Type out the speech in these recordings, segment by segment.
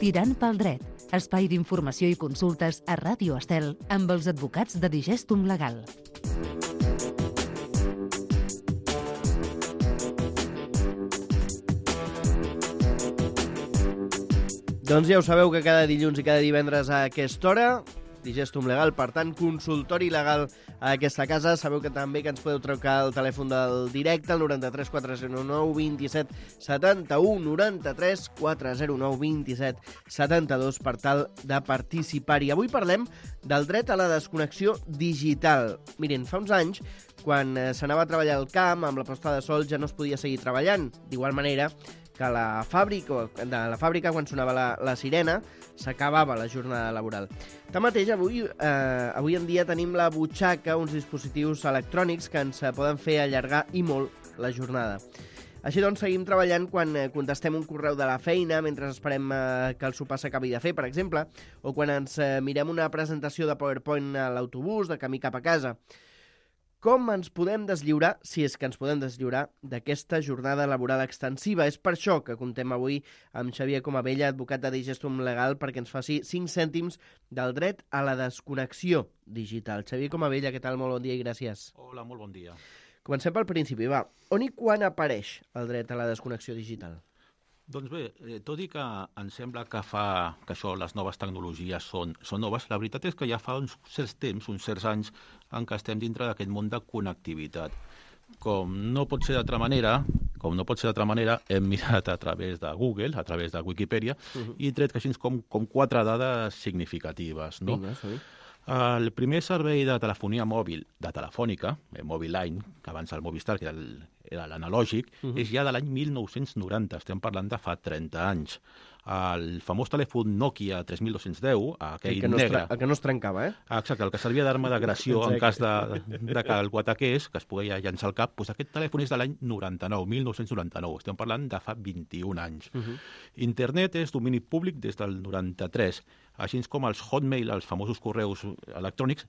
Tirant pel dret, espai d'informació i consultes a Ràdio Estel amb els advocats de Digestum Legal. Doncs ja ho sabeu que cada dilluns i cada divendres a aquesta hora, Digestum Legal, per tant, consultori legal a aquesta casa. Sabeu que també que ens podeu trucar al telèfon del directe, el 93 409 27 71, 93 409 27 72, per tal de participar-hi. Avui parlem del dret a la desconnexió digital. Miren, fa uns anys, quan s'anava a treballar al camp, amb la posta de sol ja no es podia seguir treballant. D'igual manera que de la fàbrica, quan sonava la sirena, s'acabava la jornada laboral. Tanmateix, avui en dia tenim la butxaca, uns dispositius electrònics que ens poden fer allargar i molt la jornada. Així doncs, seguim treballant quan contestem un correu de la feina, mentre esperem que el sopar s'acabi de fer, per exemple, o quan ens mirem una presentació de PowerPoint a l'autobús de camí cap a casa. Com ens podem deslliurar, si és que ens podem deslliurar, d'aquesta jornada laboral extensiva? És per això que contem avui amb Xavier Comabella, advocat de Digestum Legal, perquè ens faci 5 cèntims del dret a la desconnexió digital. Xavier Comabella, què tal? Molt bon dia i gràcies. Hola, molt bon dia. Comencem pel principi, va. On i quan apareix el dret a la desconnexió digital? Doncs bé, tot i que em sembla que això, les noves tecnologies són noves, la veritat és que ja fa uns certs temps, uns certs anys, en què estem dintre d'aquest món de connectivitat. Com no pot ser d'altra manera, hem mirat a través de Google, a través de Wikipedia, i tret així com 4 dades significatives. No? Vinga, sí. El primer servei de telefonia mòbil, de Telefònica, Mobile Line, que abans el Movistar, que era l'analògic, és ja de l'any 1990, estem parlant de fa 30 anys. El famós telèfon Nokia 3210, aquell negre... El que no es trencava, eh? Exacte, el que servia d'arma d'agressió en cas de que algú ataqués, que es pogués llançar al cap, doncs aquest telèfon és de l'any 1999, estem parlant de fa 21 anys. Internet és domini públic des del 93, així com els Hotmail, els famosos correus electrònics,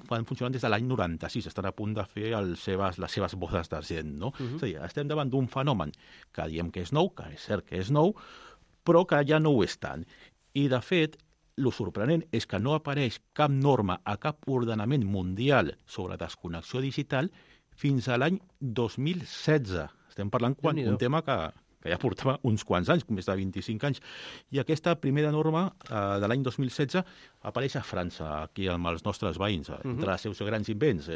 van funcionant des de l'any 96, estan a punt de fer les seves bodes d'argent, no? És a dir, estem davant d'un fenomen que diem que és nou, que és cert que és nou, però que ja no ho és tant. I, de fet, el sorprenent és que no apareix cap norma a cap ordenament mundial sobre desconnexió digital fins a l'any 2016. Estem parlant d'un tema que ja portava uns quants anys, més de 25 anys. I aquesta primera norma de l'any 2016 apareix a França, aquí amb els nostres veïns. Entre els seus grans invents,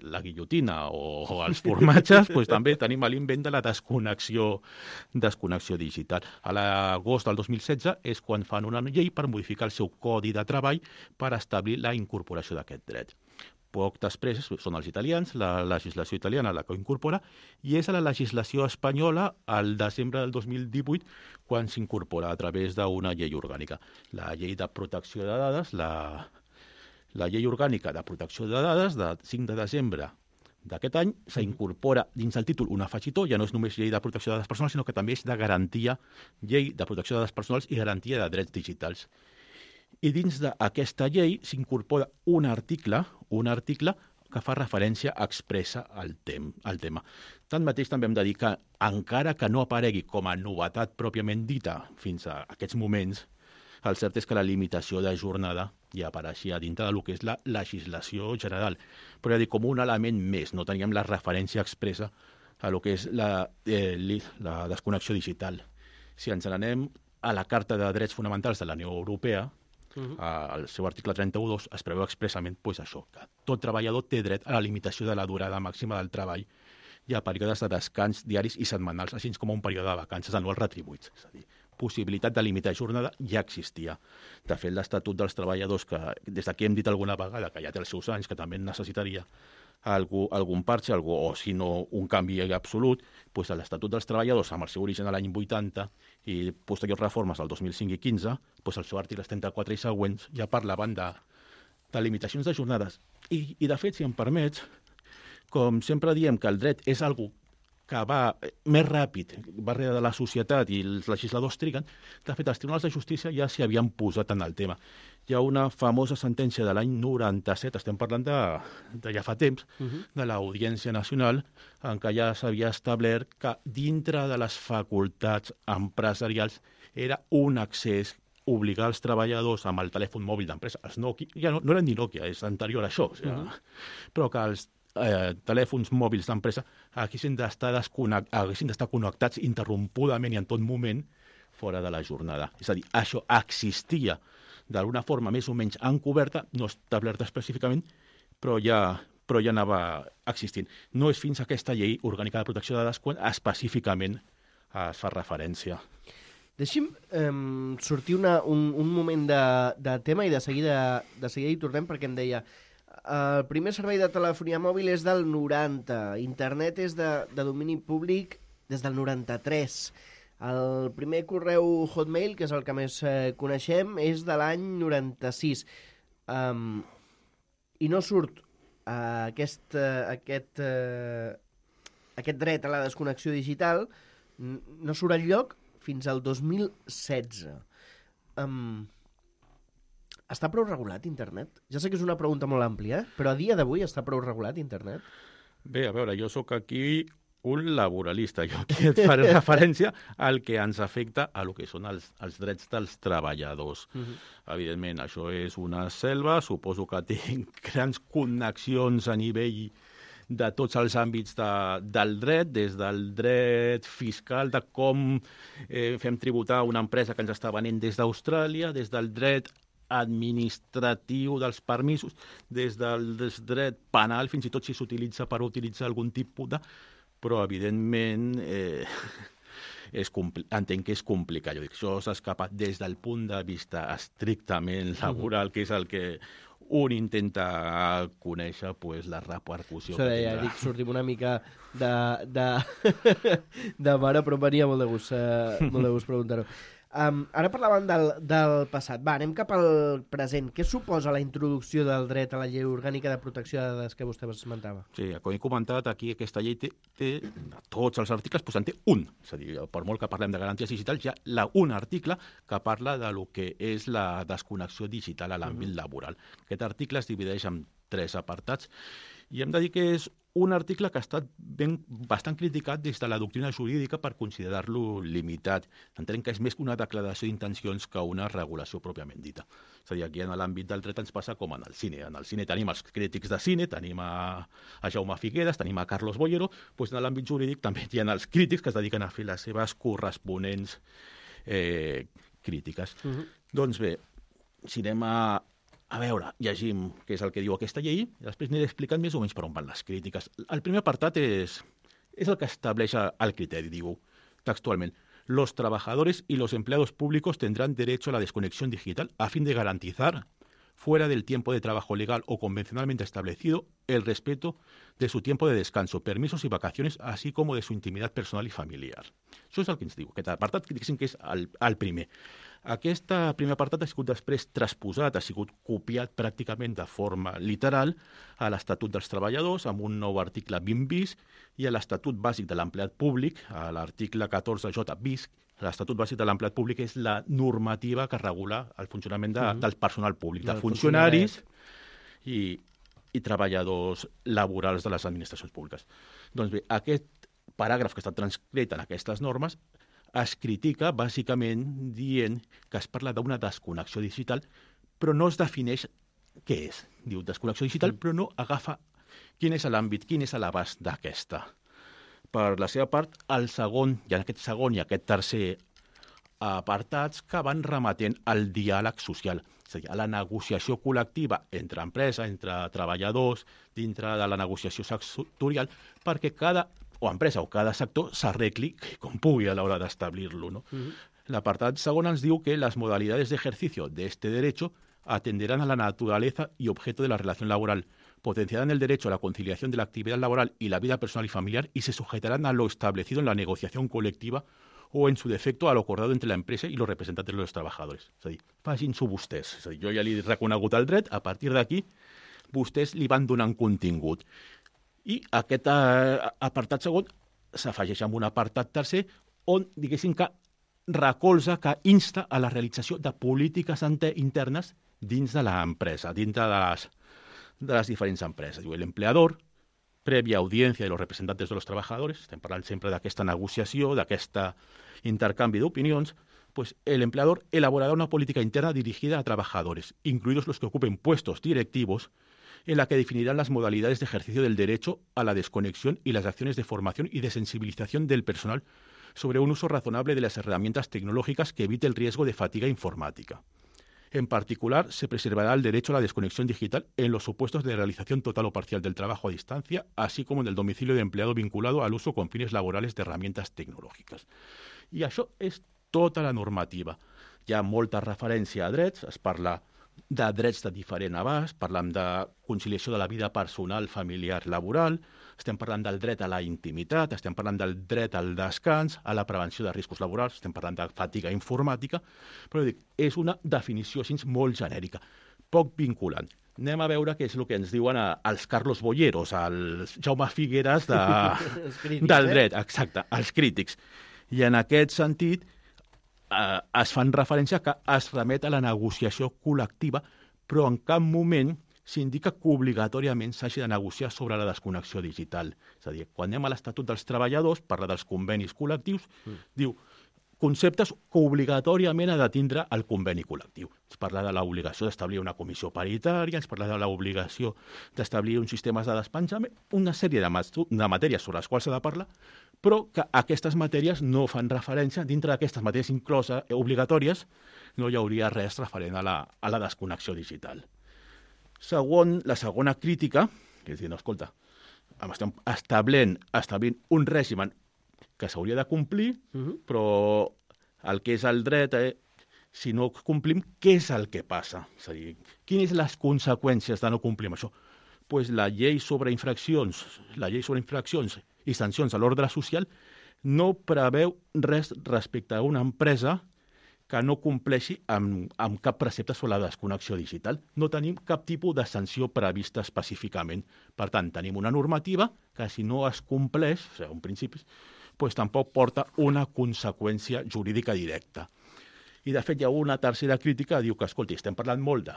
la guillotina o els formatges, doncs també tenim l'invent de la desconnexió digital. A l'agost del 2016 és quan fan una llei per modificar el seu codi de treball per establir la incorporació d'aquest dret. Poc després són els italians, la legislació italiana la que ho incorpora, i és a la legislació espanyola al desembre del 2018 quan s'incorpora a través d'una llei orgànica. La llei de protecció de dades, la llei orgànica de protecció de dades de 5 de desembre d'aquest any s'incorpora dins el títol un afegitó, ja no és només llei de protecció de dades personals, sinó que també és de garantia, llei de protecció de dades personals i garantia de drets digitals. I dins d'aquesta llei s'incorpora un article que fa referència expressa al tema. Tanmateix també hem de dir que, encara que no aparegui com a novetat pròpiament dita fins a aquests moments, el cert és que la limitació de jornada ja apareixia dintre del que és la legislació general. Però ja dic, com un element més, no teníem la referència expressa a lo que és la desconnexió digital. Si ens n'anem a la Carta de Drets Fonamentals de la Unió Europea, al seu article 31.2 es preveu expressament això, que tot treballador té dret a la limitació de la durada màxima del treball i a períodes de descans diaris i setmanals, així com un període de vacances anuals retribuïts. És a dir, possibilitat de limitar jornada ja existia. De fet, l'Estatut dels Treballadors, que des d'aquí hem dit alguna vegada que ja té els seus anys, que també necessitaria algun parche, o si no un canvi absolut, doncs l'Estatut dels Treballadors, amb el seu origen a l'any 80 i posteriors reformes al 2005 i 15, doncs el seu article 34 i següents ja parlaven de limitacions de jornades. I de fet, si em permets, com sempre diem que el dret és algo que va més ràpid, va darrere de la societat i els legisladors triguen, de fet, els tribunals de justícia ja s'hi havien posat en el tema. Hi ha una famosa sentència de l'any 97, estem parlant de ja fa temps, de l'Audiència Nacional, en què ja s'havia establert que dintre de les facultats empresarials era un accés obligar els treballadors amb el telèfon mòbil d'empresa, els Nokia, ja no eren ni Nokia, és anterior a això, però que els telèfons mòbils d'empresa haguessin d'estar connectats interrompudament i en tot moment fora de la jornada. És a dir, això existia d'alguna forma més o menys encoberta, no establerta específicament, però ja anava existint. No és fins a aquesta llei orgànica de protecció de dades quan específicament es fa referència. Deixi'm sortir un moment de tema i de seguida hi tornem, perquè em deia el primer servei de telefonia mòbil és del 90, internet és de domini públic des del 93, el primer correu Hotmail, que és el que més coneixem, és de l'any 96, i no surt aquest dret a la desconnexió digital, no surt enlloc fins al 2016. Està prou regulat internet? Ja sé que és una pregunta molt àmplia, però a dia d'avui està prou regulat internet? Bé, a veure, jo sóc aquí un laboralista. Jo aquí et faré referència al que ens afecta a lo que són els drets dels treballadors. Evidentment, això és una selva, suposo que tinc grans connexions a nivell de tots els àmbits del dret, des del dret fiscal, de com fem tributar una empresa que ens està venent des d'Austràlia, des del dret administratiu dels permisos, des del dret penal, fins i tot si s'utilitza per utilitzar algun tipus de... Però, evidentment, entenc que és complicat. Jo dic, això s'escapa des del punt de vista estrictament laboral, que és el que un intenta conèixer, pues, la repercussió que tindrà. Dic, sortim una mica de mare, però em venia molt de gust preguntar-ho. Ara parlàvem del passat. Va, anem cap al present. Què suposa la introducció del dret a la llei orgànica de protecció de dades que vostè esmentava? Sí, com he comentat, aquí aquesta llei té tots els articles, doncs en té un. És a dir, per molt que parlem de garanties digitals, hi ha un article que parla de lo que és la desconnexió digital a l'àmbit laboral. Aquest article es divideix en 3 apartats i hem de dir que és un article que ha estat bastant criticat des de la doctrina jurídica per considerar-lo limitat. Entenem que és més que una declaració d'intencions que una regulació pròpiament dita. És a dir, aquí en l'àmbit del dret ens passa com en el cine. En el cine tenim els crítics de cine, tenim a Jaume Figueras, tenim a Carlos Boyero, doncs en l'àmbit jurídic també hi ha els crítics que es dediquen a fer les seves corresponents crítiques. Doncs bé, si anem a veure, llegim què és el que diu aquesta llei, i després aniré explicant més o menys per on van les crítiques. El primer apartat és el que estableix el criteri, diu textualment: los trabajadores y los empleados públicos tendrán derecho a la desconexión digital a fin de garantizar, fuera del tiempo de trabajo legal o convencionalmente establecido, el respeto de su tiempo de descanso, permisos y vacaciones, así como de su intimidad personal y familiar. Això és el que ens diu. Aquest apartat, diguéssim que és el primer. Aquest primer apartat ha sigut després transposat, ha sigut copiat pràcticament de forma literal a l'Estatut dels Treballadors, amb un nou article 20 bis, i a l'Estatut Bàsic de l'Empleat Públic, a l'article 14J bis. L'Estatut Bàsic de l'Empleat Públic és la normativa que regula el funcionament del personal públic, de funcionaris i treballadors laborals de les administracions públiques. Doncs bé, aquest paràgraf que està transcrit en aquestes normes es critica bàsicament dient que es parla d'una desconnexió digital, però no es defineix què és. Diu desconnexió digital, però no agafa quin és l'àmbit, quin és l'abast d'aquesta. Per la seva part, el segon, i en aquest segon i aquest tercer apartats que van remetent al diàleg social, és a dir, a la negociació col·lectiva entre empresa, entre treballadors, dintre de la negociació sectorial, perquè cada empresa o cada sector s'arregli com pugui a l'hora d'establir-lo, ¿no? L'apartat segon ens diu que las modalidades de ejercicio de este derecho atenderán a la naturaleza y objeto de la relación laboral, potenciarán el derecho a la conciliación de la actividad laboral y la vida personal y familiar y se sujetarán a lo establecido en la negociación colectiva o, en su defecto, a lo acordado entre la empresa y los representantes de los trabajadores. És a dir, facin-s'ho vostès. És a dir, jo ja li he reconegut el dret, a partir d'aquí vostès li van donant contingut. I aquest apartat segon s'afegeix amb un apartat tercer on, diguéssim, que recolza, que insta a la realització de polítiques internes dins de l'empresa, dintre de les diferents empreses. Diu, el empleador, prèvia audiència de los representantes de los trabajadores, estem parlant sempre d'aquesta negociació, d'aquest intercanvi d'opinions, pues el empleador elaborará una política interna dirigida a trabajadores, incluidos los que ocupen puestos directivos, en la que definirán las modalidades de ejercicio del derecho a la desconexión y las acciones de formación y de sensibilización del personal sobre un uso razonable de las herramientas tecnológicas que evite el riesgo de fatiga informática. En particular, se preservará el derecho a la desconexión digital en los supuestos de realización total o parcial del trabajo a distancia, así como en el domicilio de empleado vinculado al uso con fines laborales de herramientas tecnològiques. I això és tota la normativa. Hi ha molta referència a drets, es parla de drets de diferent abast, parlem de conciliació de la vida personal, familiar, laboral, estem parlant del dret a la intimitat, estem parlant del dret al descans, a la prevenció de riscos laborals, estem parlant de fatiga informàtica, però dic, és una definició així molt genèrica, poc vinculant. Anem a veure què és el que ens diuen els Carlos Boyeros, els Jaume Figueres del dret, exacte, els crítics. I en aquest sentit es fan referència que es remet a la negociació col·lectiva, però en cap moment s'indica que obligatòriament s'hagi de negociar sobre la desconnexió digital. És a dir, quan anem a l'Estatut dels Treballadors, parla dels convenis col·lectius, diu conceptes que obligatòriament ha de tindre el conveni col·lectiu. Es parla de l'obligació d'establir una comissió paritària, es parla de l'obligació d'establir uns sistemes de despenjament, una sèrie de matèries sobre les quals s'ha de parlar, però que aquestes matèries no fan referència, dintre d'aquestes matèries incloses obligatòries, no hi hauria res referent a la desconnexió digital. La segona crítica, que és dir, no, escolta, estem establint un règim que s'hauria de complir, però el que és el dret, si no complim, què és el que passa? És a dir, quines són les conseqüències de no complir amb això? Pues la llei sobre infraccions i sancions a l'ordre social no preveu res respecte a una empresa que no compleixi amb cap precepte sobre la desconnexió digital. No tenim cap tipus de sanció prevista específicament. Per tant, tenim una normativa que si no es compleix, o sigui, un principi, pues tampoc porta una conseqüència jurídica directa. I, de fet, hi ha una tercera crítica que diu que, escolti, estem parlant molt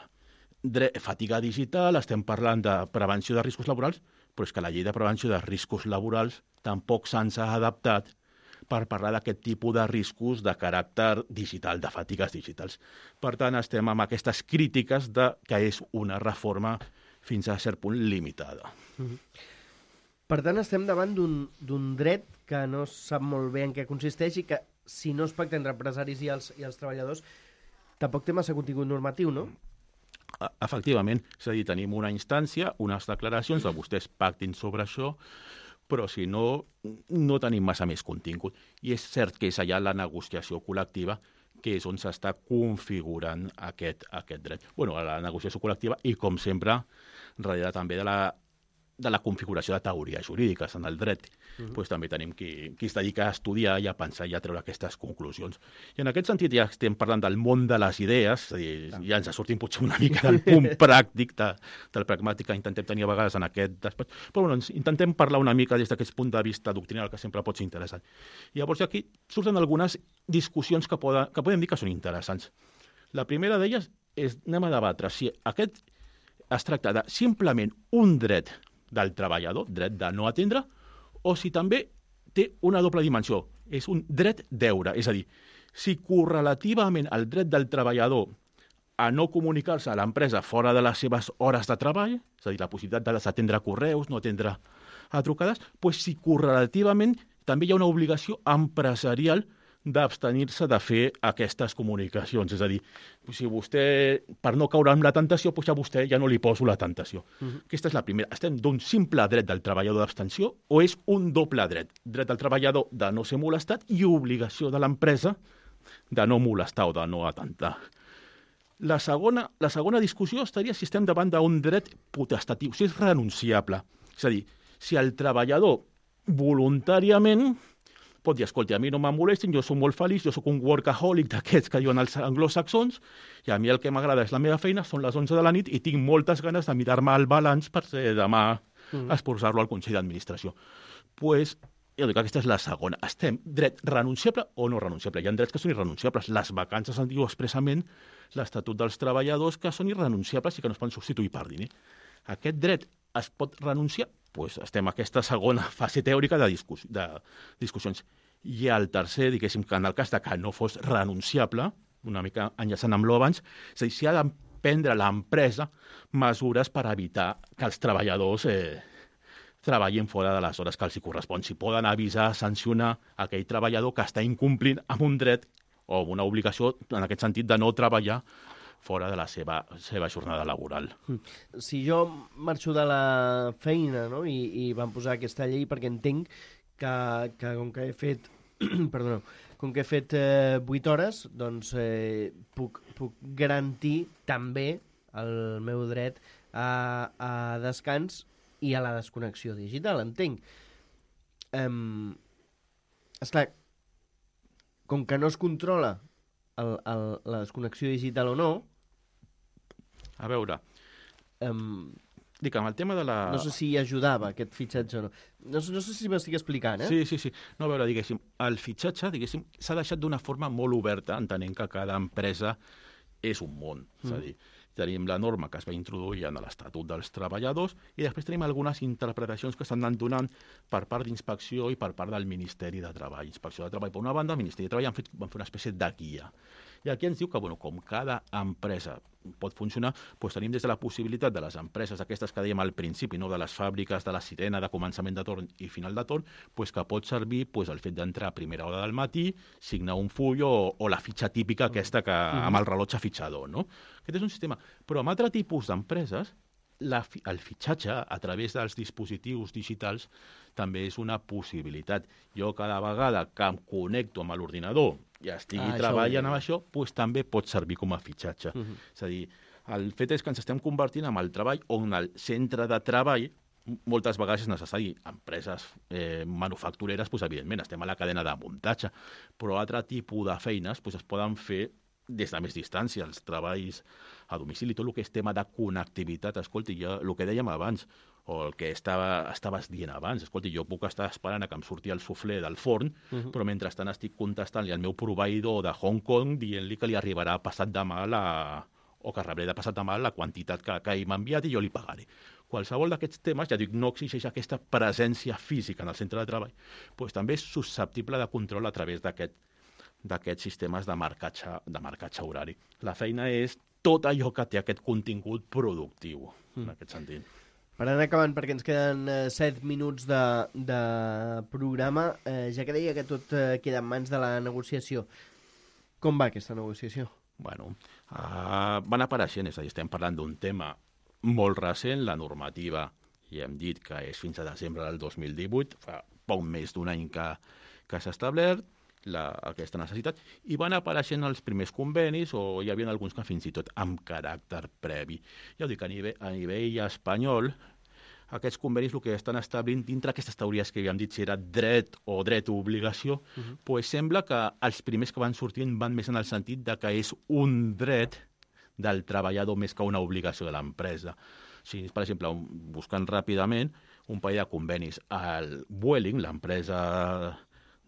de fatiga digital, estem parlant de prevenció de riscos laborals, però és que la llei de prevenció de riscos laborals tampoc se'ns ha adaptat per parlar d'aquest tipus de riscos de caràcter digital, de fatigues digitals. Per tant, estem amb aquestes crítiques que és una reforma fins a cert punt limitada. Per tant, estem davant d'un dret que no sap molt bé en què consisteix i que, si no es pacta entre empresaris i els treballadors, tampoc té massa contingut normatiu, no? Efectivament, és a dir, tenim una instància, unes declaracions de vostès pactin sobre això, però si no, no tenim massa més contingut. I és cert que és allà la negociació col·lectiva que és on s'està configurant aquest dret. Bueno, la negociació col·lectiva i, com sempre, darrere també de la configuració de teories jurídiques en el dret. Pues també tenim qui es dedica a estudiar i a pensar i a treure aquestes conclusions. I en aquest sentit ja estem parlant del món de les idees, és a dir, ja ens sortim potser una mica del punt pràctic, del pragmàtic que intentem tenir a vegades en aquest despatx, però bueno, intentem parlar una mica des d'aquest punt de vista doctrinal que sempre pot ser interessant. I llavors aquí surten algunes discussions que podem dir que són interessants. La primera d'elles és, anem a debatre si aquest es tracta de simplement un dret del treballador, dret de no atendre, o si també té una doble dimensió. És un dret deure, és a dir, si correlativament al dret del treballador a no comunicar-se a l'empresa fora de les seves hores de treball, és a dir, la possibilitat de desatendre correus, no atendre a trucades, doncs si correlativament també hi ha una obligació empresarial d'abstenir-se de fer aquestes comunicacions. És a dir, si vostè, per no caure en la tentació, doncs a vostè ja no li poso la tentació. Aquesta és la primera. Estem d'un simple dret del treballador d'abstenció o és un doble dret? Dret del treballador de no ser molestat i obligació de l'empresa de no molestar o de no atentar. La segona discussió estaria si estem davant d'un dret potestatiu, si és renunciable. És a dir, si el treballador voluntàriament pot dir, escolta, a mi no me molestin, jo soc molt feliç, jo soc un workaholic d'aquests que diuen els anglosaxons, i a mi el que m'agrada és la meva feina, són les 11 de la nit i tinc moltes ganes de mirar-me el balanç per demà esposar-lo al Consell d'Administració. Pues Jo dic que aquesta és la segona. Estem dret renunciable o no renunciable. Hi ha drets que són irrenunciables. Les vacances en diu expressament l'Estatut dels Treballadors que són irrenunciables i que no es poden substituir per diner. Aquest dret es pot renunciar? Doncs estem en aquesta segona fase teòrica de discussions. I el tercer, diguéssim, que en el cas de que no fos renunciable, una mica enllaçant amb l'abans, és a dir, si ha de prendre l'empresa mesures per evitar que els treballadors treballin fora de les hores que els hi correspon. Si poden avisar, sancionar aquell treballador que està incomplint amb un dret o amb una obligació, en aquest sentit, de no treballar fora de la seva jornada laboral. Si jo marxo de la feina, no?, i van posar aquesta llei perquè entenc que com que he fet perdoneu, com que he fet 8 hores, doncs puc garantir també el meu dret a descans i a la desconnexió digital, entenc. Esclar, com que no es controla la desconnexió digital o no... A veure, dic, amb el tema de la... No sé si ajudava aquest fitxatge o no. No sé si m'estic explicant, Sí. No, a veure, diguéssim, el fitxatge, diguéssim, s'ha deixat d'una forma molt oberta, entenent que cada empresa és un món. És a dir, tenim la norma que es va introduir en l'Estatut dels Treballadors i després tenim algunes interpretacions que s'han anat donant per part d'Inspecció i per part del Ministeri de Treball. Inspecció de Treball, per una banda, el Ministeri de Treball van fer una espècie de guia. I aquí ens diu que, com cada empresa pot funcionar, doncs tenim des de la possibilitat de les empreses aquestes que dèiem al principi, no, de les fàbriques de la sirena de començament de torn i final de torn, doncs que pot servir el fet d'entrar a primera hora del matí, signar un full o la fitxa típica aquesta que amb el rellotge fitxador, no? Aquest és un sistema. Però amb altre tipus d'empreses, el fitxatge a través dels dispositius digitals també és una possibilitat. Jo cada vegada que em connecto amb l'ordinador i estigui treballant amb això, doncs també pot servir com a fitxatge. És a dir, el fet és que ens estem convertint en el treball on el centre de treball moltes vegades és necessari. Empreses manufactureres, doncs, evidentment, estem a la cadena de muntatge, però altre tipus de feines doncs, es poden fer des de més distància, els treballs a domicili, tot el que és tema de connectivitat. Escolti, jo, el que dèiem abans, o el que estaves dient abans, escolti, jo puc estar esperant a que em surti el suflé del forn, però mentrestant estic contestant-li al meu proveïdor de Hong Kong dient-li que li arribarà passat demà o que rebré de passat demà la quantitat que ell m'ha enviat i jo li pagaré. Qualsevol d'aquests temes, ja dic, no exigeix aquesta presència física en el centre de treball, doncs també és susceptible de control a través d'aquests sistemes de marcatge horari. La feina és tot allò que té aquest contingut productiu, en aquest sentit. Per anar acabant, perquè ens queden 7 minuts de programa, ja que deia que tot queda en mans de la negociació. Com va aquesta negociació? Bueno, van apareixent, és a dir, estem parlant d'un tema molt recent, la normativa, ja hem dit que és fins a desembre del 2018, fa poc més d'un any que s'ha establert aquesta necessitat, i van apareixent els primers convenis, o hi havia alguns que fins i tot amb caràcter previ. Ja ho dic, a nivell espanyol, aquests convenis el que estan establint dintre aquestes teories que havíem dit si era dret o obligació, doncs sembla que els primers que van sortint van més en el sentit de que és un dret del treballador més que una obligació de l'empresa. Si, per exemple, buscant ràpidament un parell de convenis, el Vueling, l'empresa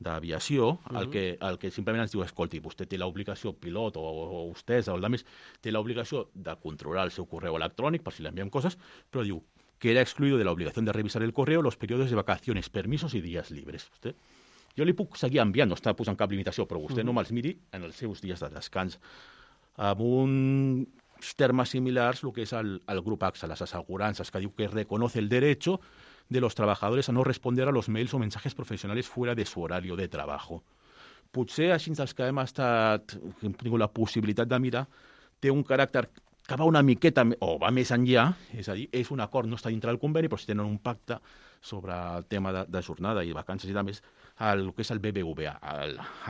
d'aviació, el que simplement ens diu, escolti, vostè té l'obligació, pilot o vostès o el més, té l'obligació de controlar el seu correu electrònic per si li enviem coses, però diu que era excluido de la obligación de revisar el correo los periodos de vacaciones, permisos y días libres. Jo li puc seguir enviant, no està posant cap limitació, però vostè no me'ls miri en els seus dies de descans. Amb uns termes similars, el que és el grup AXA, les assegurances, que diu que reconoce el derecho de los trabajadores a no responder a los mails o mensajes profesionales fuera de su horario de trabajo. Potser així dels que hem tingut la possibilitat de mirar, té un caràcter que va una miqueta, o va més enllà, és a dir, és un acord, no està dintre del conveni, però si tenen un pacte sobre el tema de jornada i vacances i més, el que és el BBVA,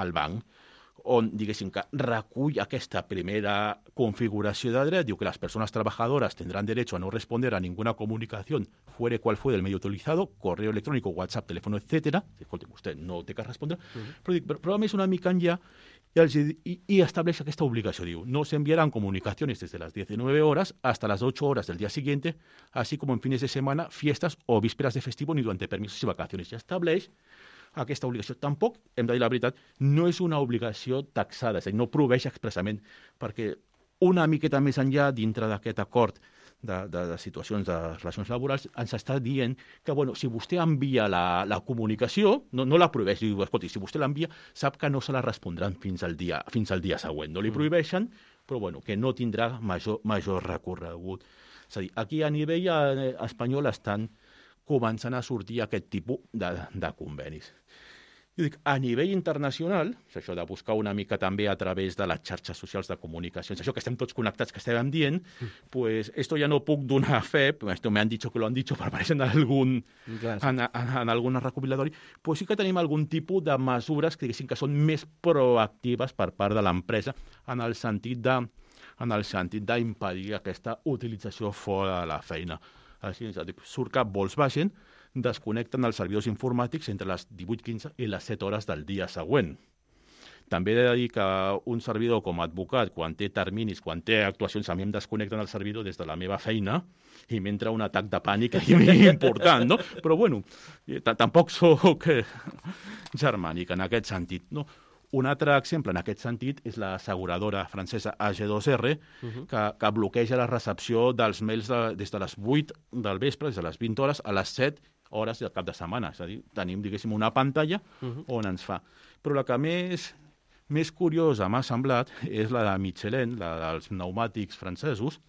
el banc, on, diguéssim, que recull aquesta primera configuració de dret, diu que les persones treballadores tindran derecho a no responder a ninguna comunicación fuera cual fue del medio utilizado, correo electrónico, WhatsApp, teléfono, etc. Escolti, vostè no té que respondre, però a més una mica enllà y establece aquesta obligació. Diu, no se enviarán comunicaciones desde las 19 horas hasta las 8 horas del día siguiente, así como en fines de semana, fiestas o vísperas de festivo ni durante permisos y vacaciones. Ja estableix aquesta obligació. Tampoc, hem de dir la veritat, no és una obligació taxada, és a dir, no prohibeix expressament, perquè una miqueta més enllà, dintre d'aquest acord de situacions de relacions laborals, ens està dient que, bueno, si vostè envia la comunicació, no la prohibeix, diu, escolti, si vostè l'envia, sap que no se la respondran fins al dia següent. No li prohibeixen, però, bueno, que no tindrà major recorregut. És a dir, aquí a nivell espanyol estan començant a sortir aquest tipus de convenis. Jo dic, a nivell internacional, això de buscar una mica també a través de les xarxes socials de comunicacions, això que estem tots connectats, que estàvem dient, pues esto ja no puc donar fe, esto me han dicho que lo han dicho, per aparèixer en algun recopilatori, pues sí que tenim algun tipus de mesures que diguéssim que són més proactives per part de l'empresa en el sentit d'impedir aquesta utilització fora de la feina. Així, surt que Volkswagen desconnecten els servidors informàtics entre les 18:15 i les 7 hores del dia següent. També he de dir que un servidor com a advocat, quan té terminis, quan té actuacions, a mi em desconnecten el servidor des de la meva feina i m'entra un atac de pànic important, no? Però, bueno, tampoc soc germànic en aquest sentit, no? Un altre exemple en aquest sentit és l'asseguradora francesa AG2R, que bloqueja la recepció dels mails des de les 8 del vespre, des de les 20 hores, a les 7 hores del cap de setmana. És a dir, tenim, diguéssim, una pantalla on ens fa. Però la que més curiosa m'ha semblat és la de Michelin, la dels pneumàtics francesos,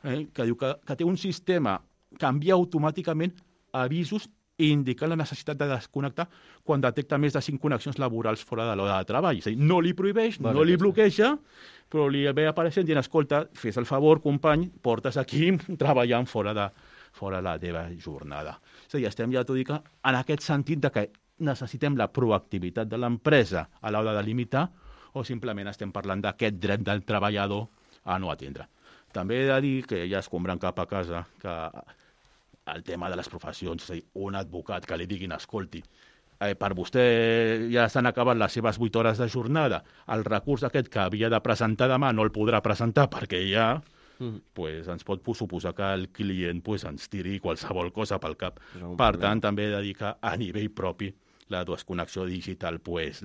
que diu que té un sistema que envia automàticament avisos indicant la necessitat de desconnectar quan detecta més de 5 connexions laborals fora de l'hora de treball. És a dir, no li prohibeix, no li bloqueja, però li ve apareixent dient, escolta, fes el favor, company, portes aquí treballant fora la teva jornada. És a dir, estem ja, t'ho dic, en aquest sentit de que necessitem la proactivitat de l'empresa a l'hora de limitar o simplement estem parlant d'aquest dret del treballador a no atendre. També he de dir que ja escombrant cap a casa que el tema de les professions, és a dir, un advocat que li diguin, escolti, per vostè ja s'han acabat les seves 8 hores de jornada, el recurs aquest que havia de presentar demà no el podrà presentar perquè ja pues, ens pot suposar que el client pues, ens tiri qualsevol cosa pel cap. Per tant, també he de dir que a nivell propi la desconnexió digital pues,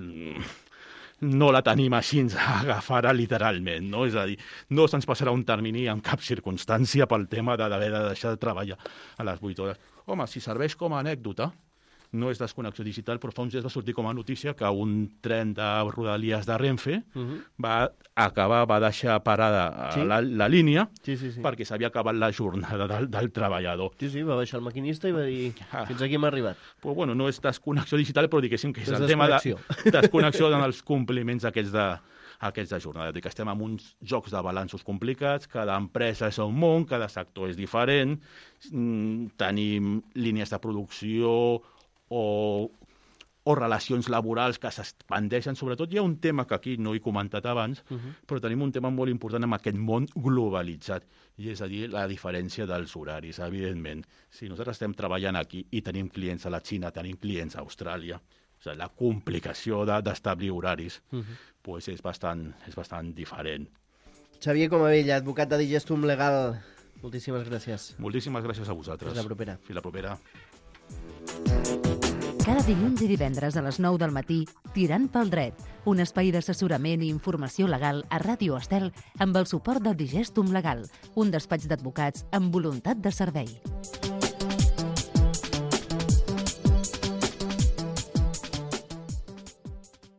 no la tenim així agafada literalment, no? És a dir, no se'ns passarà un termini en cap circumstància pel tema d'haver de deixar de treballar a les 8 hores. Home, si serveix com a anècdota, no és desconnexió digital, però fa uns dies va sortir com a notícia que un tren de Rodalies de Renfe va deixar parada la línia perquè s'havia acabat la jornada del treballador. Sí, va baixar el maquinista i va dir, fins aquí hem arribat. Pues, bueno, no és desconnexió digital, però diguéssim que és el tema de desconnexió en els compliments aquests de jornada. Que estem en uns jocs de balanços complicats, cada empresa és un món, cada sector és diferent, tenim línies de producció o relacions laborals que s'expandeixen. Sobretot hi ha un tema que aquí no he comentat abans, però tenim un tema molt important en aquest món globalitzat, i és a dir, la diferència dels horaris, evidentment. Si nosaltres estem treballant aquí i tenim clients a la Xina, tenim clients a Austràlia, la complicació d'establir horaris pues és bastant diferent. Xavier Comavell, advocat de Digestum Legal, moltíssimes gràcies. Moltíssimes gràcies a vosaltres. Fins la propera. Fins la propera. Cada dilluns i divendres a les 9 del matí, Tirant pel dret, un espai d'assessorament i informació legal a Ràdio Estel amb el suport de Digestum Legal, un despatx d'advocats amb voluntat de servei.